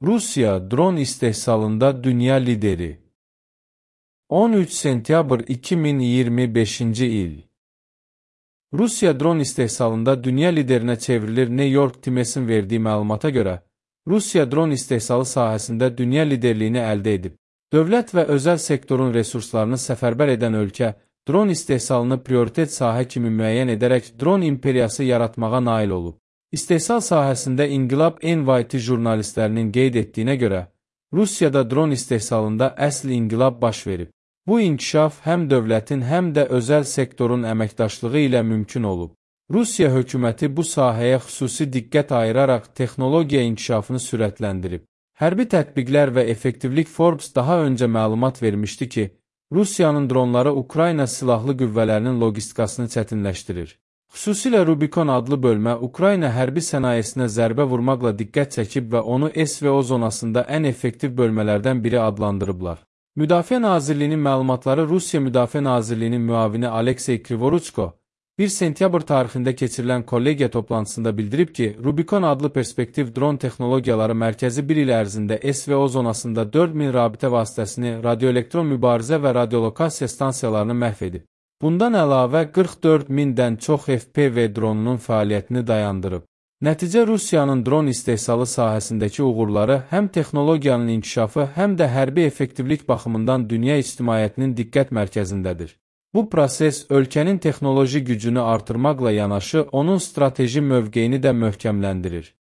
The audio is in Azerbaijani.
Rusiya dron istehsalında dünya lideri. 13 sentyabr 2025-ci il. Rusiya dron istehsalında dünya liderinə çevrilir. New York Times'in verdiyi məlumata görə, Rusiya dron istehsalı sahəsində dünya liderliyini əldə edib. Dövlət və özəl sektorun resurslarını səfərbər edən ölkə, dron istehsalını prioritet sahə kimi müəyyən edərək dron imperiyası yaratmağa nail olub. İstehsal sahəsində İnqilab NYT jurnalistlərinin qeyd etdiyinə görə, Rusiyada dron istehsalında əsl inqilab baş verib. Bu inkişaf həm dövlətin, həm də özəl sektorun əməkdaşlığı ilə mümkün olub. Rusiya hökuməti bu sahəyə xüsusi diqqət ayıraraq texnologiya inkişafını sürətləndirib. Hərbi tətbiqlər və effektivlik Forbes daha öncə məlumat vermişdi ki, Rusiyanın dronları Ukrayna silahlı qüvvələrinin logistikasını çətinləşdirir. Xüsusilə Rubikon adlı bölmə Ukrayna hərbi sənayesinə zərbə vurmaqla diqqət çəkib və onu SVO zonasında ən effektiv bölmələrdən biri adlandırıblar. Müdafiə Nazirliyinin məlumatları Rusiya Müdafiə Nazirliyinin müavini Aleksey Krivoruchko 1 sentyabr tarixində keçirilən kollegiya toplantısında bildirib ki, Rubikon adlı perspektiv dron texnologiyaları mərkəzi bir il ərzində SVO zonasında 4000 rabitə vasitəsini, radioelektron mübarizə və radiolokasiya stansiyalarını məhv edib. Bundan əlavə 44.000-dən çox FPV dronunun fəaliyyətini dayandırıb. Nəticə Rusiyanın dron istehsalı sahəsindəki uğurları həm texnologiyanın inkişafı, həm də hərbi effektivlik baxımından dünya ictimaiyyətinin diqqət mərkəzindədir. Bu proses ölkənin texnoloji gücünü artırmaqla yanaşı, onun strateji mövqeyini də möhkəmləndirir.